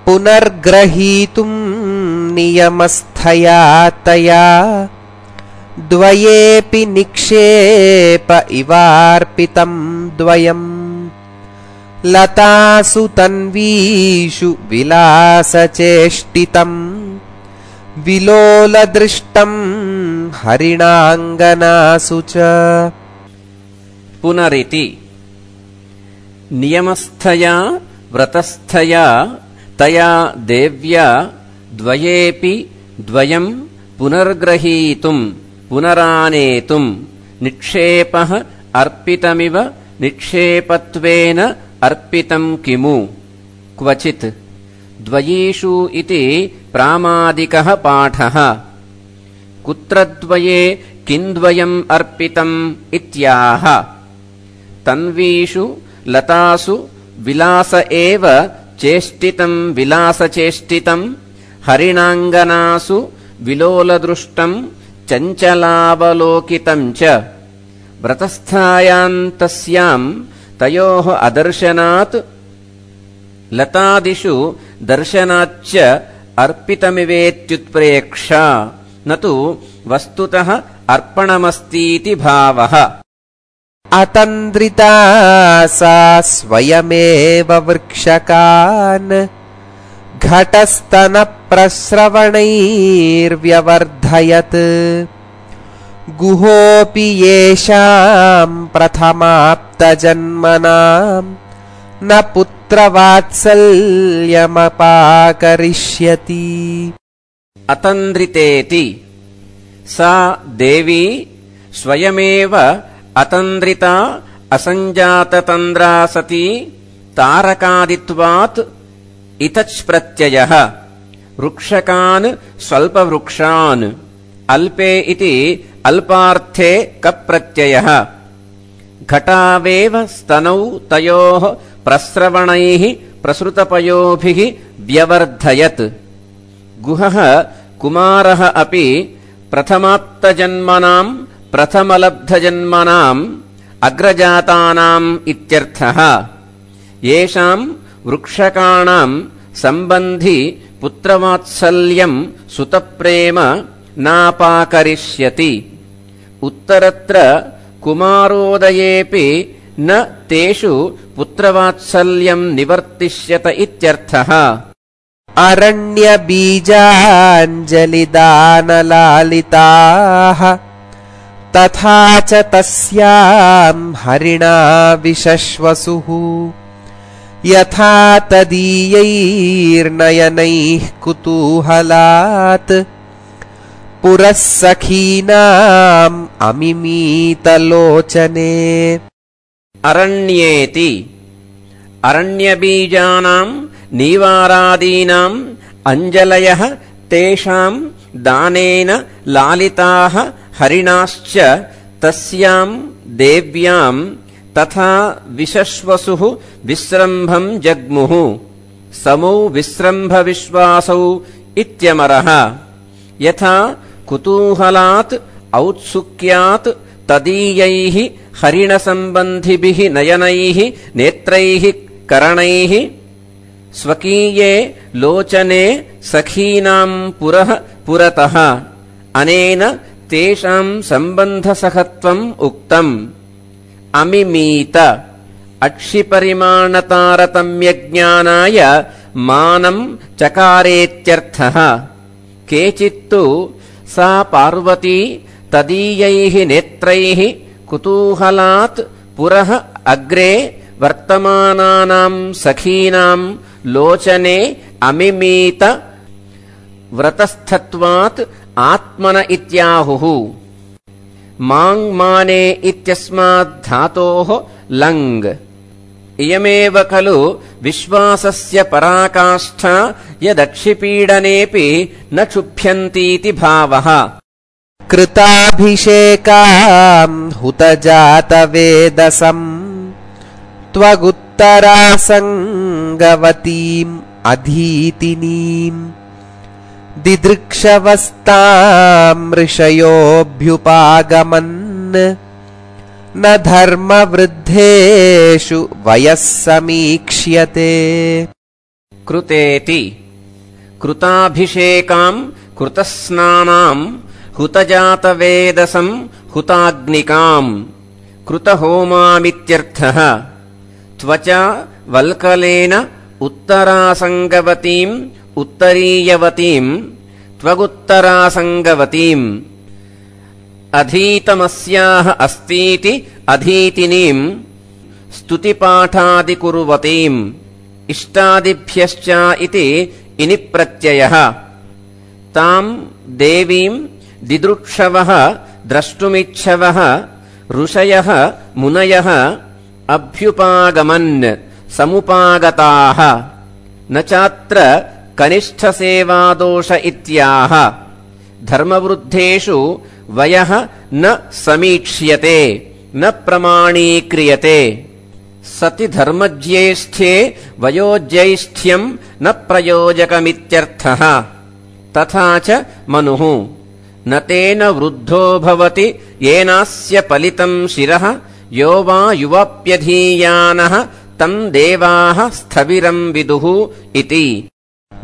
पुनर्ग्रहीतुं नियमस्थया तया द्वयेऽपि निक्षेप इवार्पितं द्वयम् लतासु तन्वीषु विलासचेष्टितम् विलोलदृष्टं हरिणाङ्गनासु च। पुनरिति नियमस्थया व्रतस्थया तया देव्या द्वयेऽपि द्वयं पुनर्ग्रहीतुं पुनरानेतुं निक्षेपः अर्पितमिव निक्षेपत्वेन अर्पितं किमु क्वचित् द्वयीषु इति प्रामादिकः पाठः। कुत्र द्वये किन्द्वयम् अर्पितम् इत्याह। तन्वीषु लतासु विलास एव चेष्टितं विलासचेष्टितं हरिणाङ्गनासु विलोलदृष्टं चञ्चलावलोकितं च। व्रतस्थायां तस्यां तयोः अदर्शनात् लतादिषु दर्शनाच्च अर्पितमिवेत्युत्प्रेक्षा न तु वस्तुतः अर्पणमस्तीति भावः। अतन्द्रिता सा स्वयमेव वृक्षकान् घटस्तनप्रस्रवणैर्व्यवर्धयत् गुहोऽपि येषां प्रथमाप्तजन्मनां न पुत्रवात्सल्यमपाकरिष्यति। अतन्द्रितेति सा देवी स्वयमेव अतन्द्रिता असञ्जाततन्द्रा सती तारकादित्वात् इतच् प्रत्ययः वृक्षकान् स्वल्पवृक्षान् अल्पे इति अल्पार्थे कप्रत्ययः घटावेव स्तनौ तयोः प्रस्रवणैः प्रसृतपयोभिः व्यवर्धयत्। गुहः कुमारः अपि प्रथमाप्तजन्मनां प्रथमलब्धजन्मनाम् अग्रजातानाम् इत्यर्थः। येषां वृक्षकाणां सम्बन्धि पुत्रवात्सल्यं सुतप्रेम नापाकरिष्यति। उत्तरत्र कुमारोदयेऽपि न तेषु पुत्रवात्सल्यं निवर्तिष्यत इत्यर्थः। अरण्यबीजाञ्जलिदानलालिताः तथा च तस्यां हरिणा विशश्वसुः यथा तदीयैर्नयनैः कुतूहलात् पुरः सखीनाम् अमिमीतलोचने। अरण्येति अरण्यबीजानां नीवारादीनाम् अञ्जलयः तेषां दानेन लालिताः हरिणाश्च तस्यां देव्यां तथा विशश्वसुः विस्रम्भं जग्मुः। समौ विस्रम्भविश्वासौ इत्यमरः। यथा कुतूहलात् औत्सुक्यात् तदीयैः हरिणसम्बन्धिभिः नयनैः नेत्रैः करणैः स्वकीये लोचने सखीनां पुरः पुरतः अनेन तेषां सम्बन्धसहत्वम् उक्तम्। अमिमीत अक्षिपरिमाणतारतम्यज्ञानाय मानं चकारेत्यर्थः। केचित्तु सा पार्वती तदीयैः नेत्रैः कुतूहलात् पुरः अग्रे वर्तमानानां सखीनां लोचने अमिमीत व्रतस्थत्वात् आत्मन इत्याहुः। माङ्माने इत्यस्मात् धातोः लङ्। इयमेव खलु विश्वासस्य पराकाष्ठा यदक्षिपीडनेऽपि न क्षुभ्यन्तीति भावः। कृताभिषेकां हुतजातवेदसम् त्वगुत्तरासङ्गवतीम् अधीतिनीम् दिदृक्षवस्तां ऋषयोऽभ्युपागमन् न धर्मवृद्धेषु वयः समीक्ष्यते। कृतेति कृताभिषेकाम् कृतस्नानाम् हुतजातवेदसम् हुताग्निकाम् कृतहोमामित्यर्थः त्वचा वल्कलेन उत्तरासङ्गवतीम् उत्तरीयवतीम् त्वगुत्तरासङ्गवतीम् अधीतमस्याः अस्तीति अधीतिनीम् स्तुतिपाठादिकुर्वतीम् इष्टादिभ्यश्च इति इनि प्रत्ययः ताम् देवीम् दिदृक्षवः द्रष्टुमिच्छवः ऋषयः मुनयः अभ्युपागमन् समुपागताः न चात्र कनिष्ठसेवादोष इत्याह धर्मवृद्धेषु वयः न समीक्ष्यते न प्रमाणीक्रियते सति धर्मज्येष्ठ्ये वयोज्यैष्ठ्यम् न प्रयोजकमित्यर्थः तथा च मनुः न तेन वृद्धो भवति येनास्य पलितम् शिरः यो वा युवाप्यधीयानः तम् देवाः स्थविरम् विदुः इति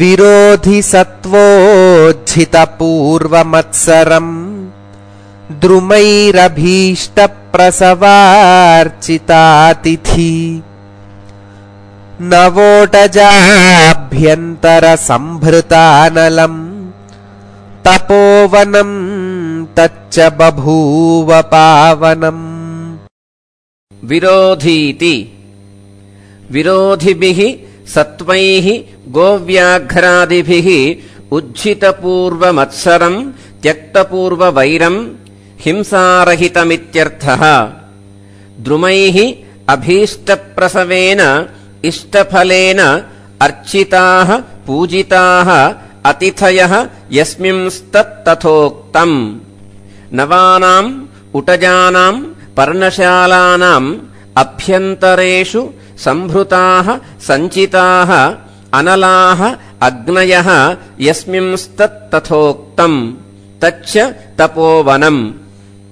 विरोधि सत्त्वोज्झितपूर्वमत्सरम् द्रुमैरभीष्टप्रसवार्चितातिथि नवोटजाभ्यन्तरसम्भृतानलम् तपोवनम् तच्च बभूव पावनम् विरोधीति विरोधिभिः सत्त्वैः गोव्याघ्रादिभिः उज्झितपूर्वमत्सरम् त्यक्तपूर्ववैरम् हिंसारहितमित्यर्थः द्रुमैः अभीष्टप्रसवेन इष्टफलेन अर्चिताः पूजिताः अतिथयः यस्मिंस्तत्तथोक्तम् नवानाम् उटजानाम् पर्णशालानाम् अभ्यन्तरेषु सम्भृताः सञ्चिताः अनलाः अग्नयः यस्मिंस्तत्तथोक्तम् तच्च तपोवनम्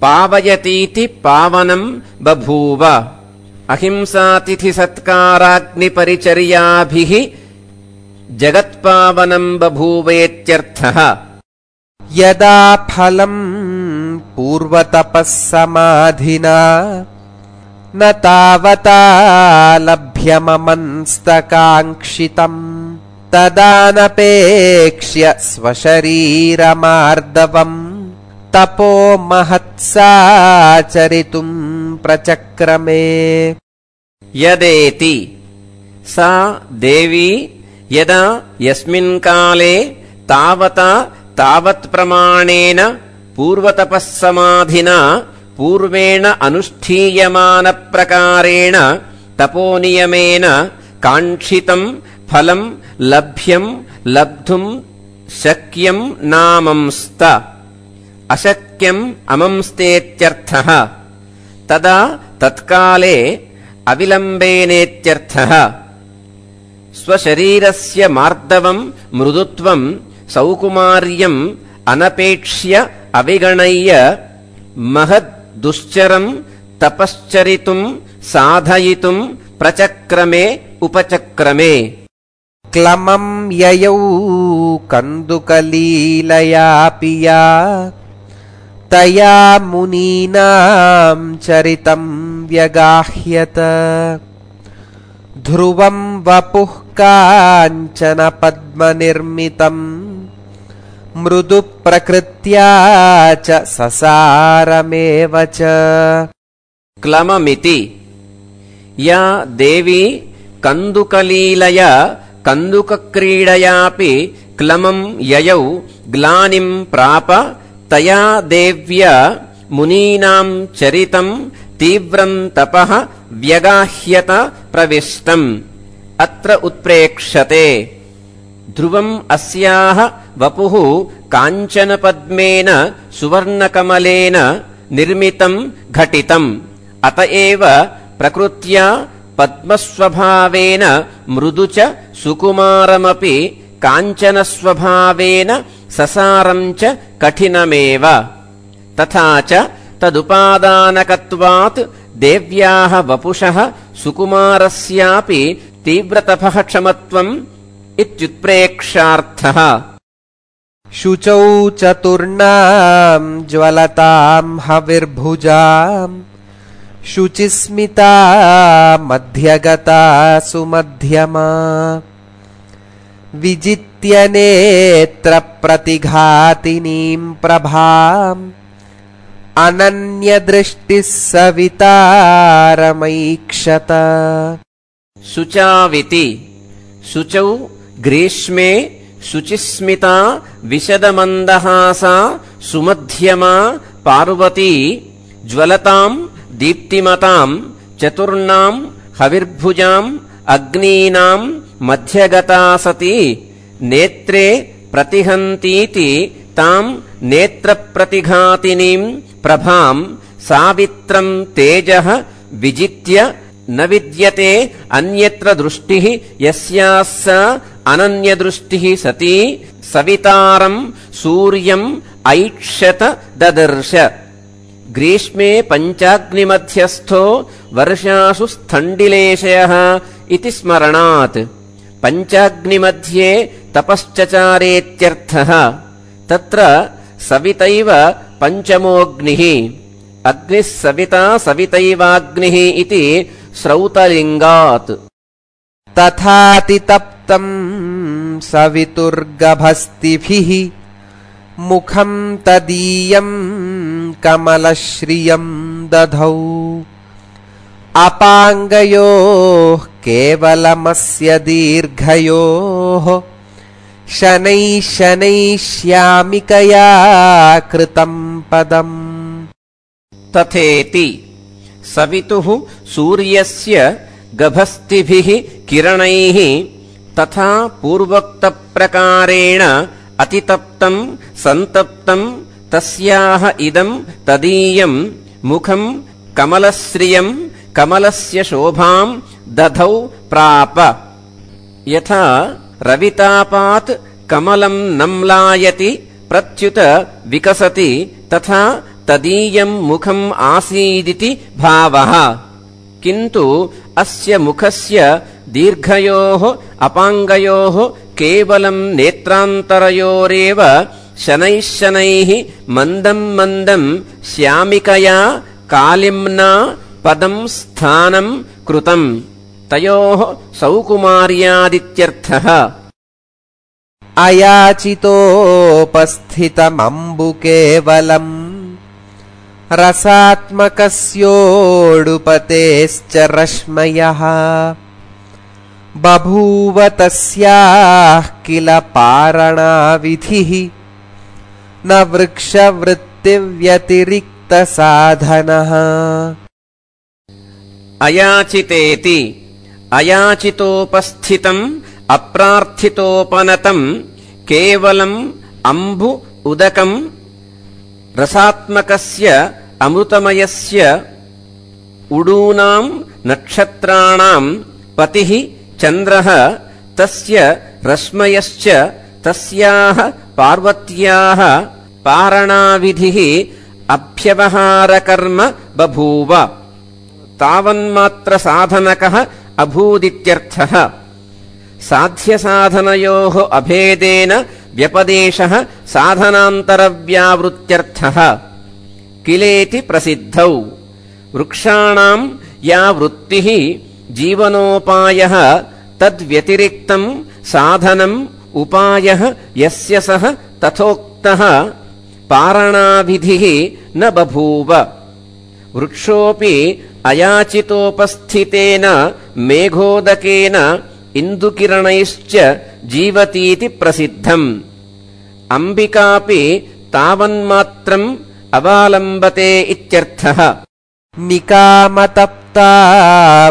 पावयतीति पावनम् बभूव अहिंसातिथिसत्काराग्निपरिचर्याभिः जगत्पावनम् बभूवेत्यर्थः यदा फलम् पूर्वतपः समाधिना न तावता लभ्यममंस्तकाङ्क्षितम् तदानपेक्ष्य स्वशरीरमार्दवम् तपो महत्साचरितुम् प्रचक्रमे यदेति सा देवी यदा यस्मिन् काले तावता तावत्प्रमाणेन पूर्वतपःसमाधिना पूर्वेण अनुष्ठीयमानप्रकारेण तपोनियमेन काङ्क्षितम् फलम् लभ्यम् लब्धुम् शक्यम् नामंस्त अशक्यम् अमंस्तेत्यर्थः तदा तत्काले अविलम्बेनेत्यर्थः स्वशरीरस्य मार्दवम् मृदुत्वम् सौकुमार्यम् अनपेक्ष्य अविगणय्य महद्दुश्चरम् तपश्चरितुम् साधयितुम् प्रचक्रमे उपचक्रमे क्लमम् ययौ कन्दुकलीलया पिया तया मुनीनाम् चरितम् व्यगाह्यत ध्रुवम् वपुः काञ्चन पद्मनिर्मितम् मृदु प्रकृत्या च ससारमेव च क्लममिति या देवी कन्दुकलीलया कन्दुकक्रीडयापि क्लमम् ययौ ग्लानिम् प्राप तया देव्या मुनीनाम् चरितम् तीव्रम् तपः व्यगाह्यत प्रविष्टम् अत्र उत्प्रेक्ष्यते ध्रुवम् अस्याः वपुः काञ्चनपद्मेन सुवर्णकमलेन निर्मितम् घटितम् अत एव प्रकृत्या पद्मस्वभावेन मृदु च सुकुमारमपि काञ्चनस्वभावेन ससारम् च कठिनमेव तथा च तदुपादानकत्वात् देव्याः वपुषः सुकुमारस्यापि तीव्रतपः क्षमत्वम् इत्युत्प्रेक्षार्थः। शुचौ चतुर्णाम् ज्वलताम् हविर्भुजाम् शुचिस्मिता मध्यगता सुमध्यमा विजित्य नेत्रप्रतिघातिनीम् प्रभाम् अनन्यदृष्टिः सवितारमैक्षत। शुचाविति शुचौ ग्रीष्मे शुचिस्मिता विशदमन्दहासा सुमध्यमा पार्वती ज्वलताम् दीप्तिमताम् चतुर्णाम् हविर्भुजाम् अग्नीनाम् मध्यगता सती नेत्रे प्रतिहन्तीति ताम् नेत्रप्रतिघातिनीम् प्रभाम् सावित्रम् तेजः विजित्य न विद्यते अन्यत्र दृष्टिः यस्याः स अनन्यदृष्टिः सती सवितारम् सूर्यम् ऐक्षत ददर्श। ग्रीष्मे पञ्चाग्निमध्यस्थो वर्षासु स्थण्डिलेशयः इति स्मरणात् पञ्चाग्निमध्ये तपश्चचारेत्यर्थः। तत्र सवितैव पञ्चमोऽग्निः अग्निः सविता सवितैवाग्निः इति श्रौतलिङ्गात्। तथातितप्तम् सवितुर्गभस्तिभिः मुखम् तदीयम् कमलश्रियम् दधौ अपाङ्गयोः केवलमस्य दीर्घयोः शनैः शनैः श्यामिकया कृतम् पदम्। तथेति सवितुः सूर्यस्य गभस्तिभिः किरणैः तथा पूर्वोक्तप्रकारेण अतितप्तम् सन्तप्तम् तस्याः इदम् तदीयम् मुखम् कमलश्रियम् कमलस्य शोभाम् दधौ प्राप। यथा रवितापात् कमलम् नम्लायति प्रत्युत विकसति तथा तदीयम् मुखम् आसीदिति भावः। किन्तु अस्य मुखस्य दीर्घयोः अपाङ्गयोः केवलम् नेत्रान्तरयोरेव शनैः शनैः मन्दम् मन्दम् श्यामिकया कालिम्ना पदम् स्थानम् कृतम् तयोः सौकुमार्यादित्यर्थः। अयाचितोपस्थितमम्बु केवलम् रसात्मकस्योडुपतेश्च रश्मयः बभूव तस्याः किल पारणाविधिः न वृक्षवृत्तिव्यतिरिक्तसाधनः। अयाचितेति अयाचितोपस्थितम् अप्रार्थितोपनतम् केवलम् अम्बु उदकम् रसात्मकस्य अमृतमयस्य उडूनाम् नक्षत्राणाम् पतिः चन्द्रः तस्य रश्मयश्च तस्याः पार्वत्याः पारणाविधिः अभ्यवहारकर्म बभूव तावन्मात्रसाधनकः अभूदित्यर्थः। साध्यसाधनयोः अभेदेन व्यपदेशः साधनान्तरव्यावृत्त्यर्थः। किलेति प्रसिद्धौ। वृक्षाणाम् या वृत्तिः जीवनोपायः तद्व्यतिरिक्तम् साधनम् उपायः यस्य सः तथोक्तः पारणाविधिः न बभूव। वृक्षोऽपि अयाचितोपस्थितेन मेघोदकेन इन्दुकिरणैश्च जीवतीति प्रसिद्धम्। अम्बिकापि तावन्मात्रम् अवालम्बते इत्यर्थः। निकामतप्ता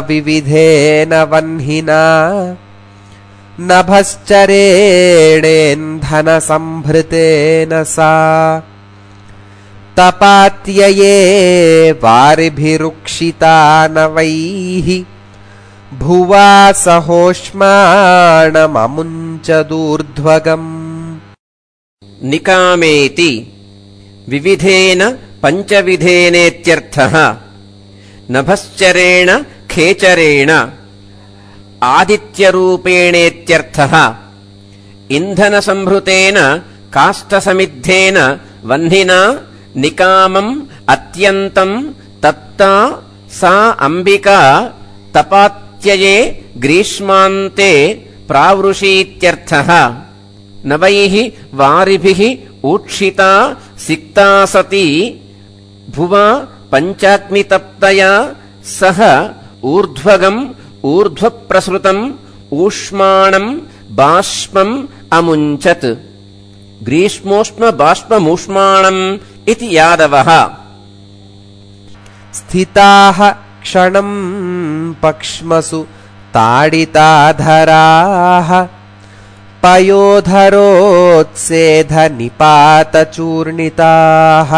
विविधेन वह्निना नभश्चरेणेन्धनसंभृतेन सा तपात्यये वारिभिरुक्षितानवैः भुवा सहोष्माणममुञ्चदूर्ध्वगम्। निकामेति विविधेन पञ्चविधेनेत्यर्थः। नभश्चरेण खेचरेण आदित्यरूपेणेत्यर्थः। इन्धनसंभृतेन काष्ठसमिद्धेन वह्निना निकामम् अत्यन्तम् तप्ता सा अम्बिका तपात्यये ग्रीष्मान्ते प्रावृषीत्यर्थः। नवैः वारिभिः ऊक्षिता सिक्ता सती भुवा पञ्चाग्नितप्तया सह ऊर्ध्वगम् ऊर्ध्वप्रसृतम् ऊष्माणम् बाष्पम् अमुञ्चत्। ग्रीष्मोष्म बाष्पमूष्माणम् इति यादवः। स्थिताः क्षणम् पक्ष्मसु ताडिताधराः पयोधरोत्सेधनिपातचूर्णिताः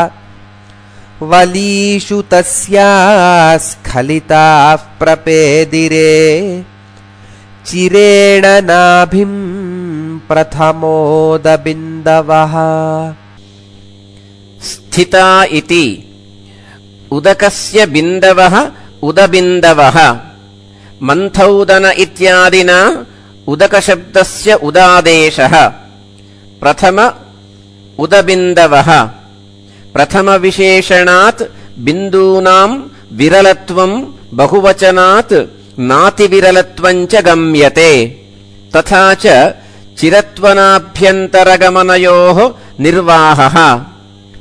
वलीषु तस्याः स्खलिताः प्रपेदिरे चिरेण नाभिम् प्रथमोदबिन्दवः। स्थिता इति उदकस्य बिन्दवः उदबिन्दवः। मन्थौदन इत्यादिना उदकशब्दस्य उदादेशः। प्रथम उदबिन्दवः प्रथमविशेषणात् बिन्दूनाम् विरलत्वम् बहुवचनात् नातिविरलत्वम् च गम्यते। तथा च चिरत्वनाभ्यन्तरगमनयोः निर्वाहः।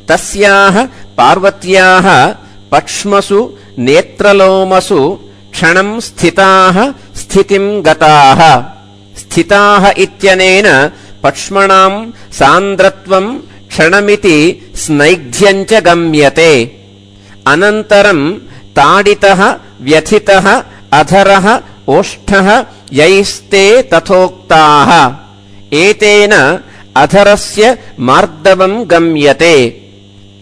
तस्याः पार्वत्याः पक्ष्मसु नेत्रलोमसु क्षणम् स्थिताः स्थितिम् गताः। स्थिताः इत्यनेन पक्ष्मणाम् सान्द्रत्वम् क्षणमिति स्नैग्ध्यम् च गम्यते। अनन्तरम् ताडितः व्यथितः अधरः ओष्ठः यैस्ते तथोक्ताः। एतेन अधरस्य मार्दवम् गम्यते।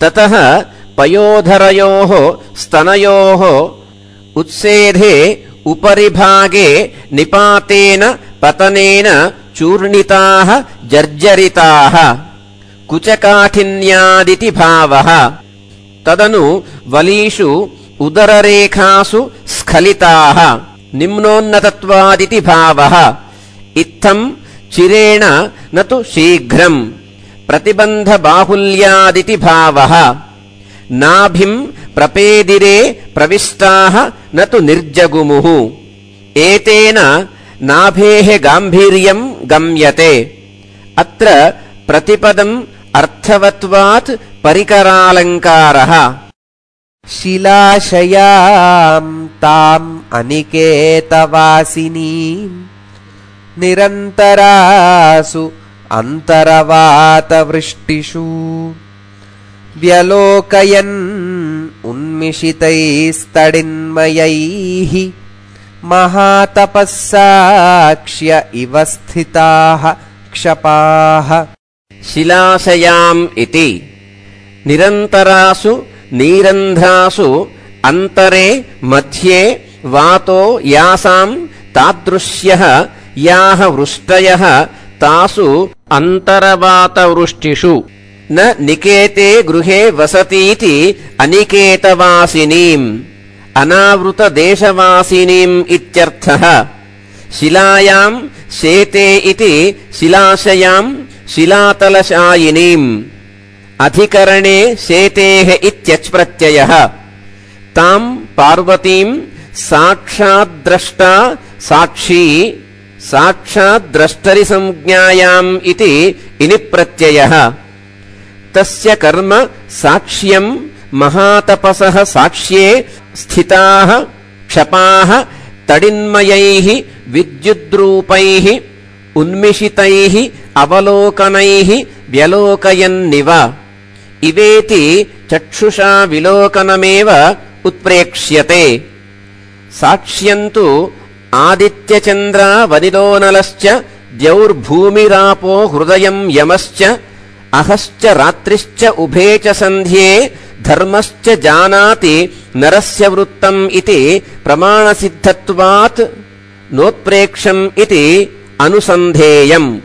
ततः पयोधरयोः स्तनयोः उत्सेधे उपरिभागे निपातेन पतनेन चूर्णिताः जर्जरिताः कुचकाठिन्यादिति भावः। तदनु वलीषु उदररेखासु स्खलिताः निम्नोन्नतत्वादिति भावः। इत्थम् चिरेण न तु शीघ्रम् प्रतिबन्धबाहुल्यादिति भावः। नाभिम् प्रपेदिरे प्रविष्टाः न तु निर्जगुमुः। एतेन नाभेः गाम्भीर्यम् गम्यते। अत्र प्रतिपदम् अर्थवत्वात् परिकरालङ्कारः। शिलाशयाम् ताम् अनिकेतवासिनीम् निरन्तरासु अन्तरवातवृष्टिषु व्यलोकयन् उन्मिषितैस्तडिन्मयैः महातपस्साक्ष्य इव स्थिताः क्षपाः। शिलाशयाम् इति निरन्तरासु नीरन्ध्रासु अन्तरे मध्ये वातो यासाम् तादृश्यः याः वृष्टयः तासु अन्तरवातवृष्टिषु न निकेते गृहे वसतीति अनिकेतवासिनीम् अनावृतदेशवासिनीम् इत्यर्थः। शिलायाम् शेते इति शिलाशयाम् शिलातलशायिनीम् अधिकरणे शेतेः इत्यच्प्रत्ययः। ताम् पार्वतीम् साक्षाद्द्रष्टा साक्षी साक्षाद्द्रष्टरिसंज्ञायाम् इति इनिप्रत्ययः। तस्य कर्म साक्ष्यम् महातपसः साक्ष्ये स्थिताः क्षपाः तडिन्मयैः विद्युद्रूपैः उन्मिषितैः अवलोकनैः व्यलोकयन्निव। इवेति चक्षुषा विलोकनमेव उत्प्रेक्ष्यते। साक्ष्यन्तु आदित्यचन्द्रा वनिलोनलश्च द्यौर्भूमिरापो हृदयम् यमश्च अहश्च रात्रिश्च उभे च सन्ध्ये धर्मश्च जानाति नरस्य वृत्तम् इति प्रमाणसिद्धत्वात् नोत्प्रेक्षम् इति अनुसन्धेयम्।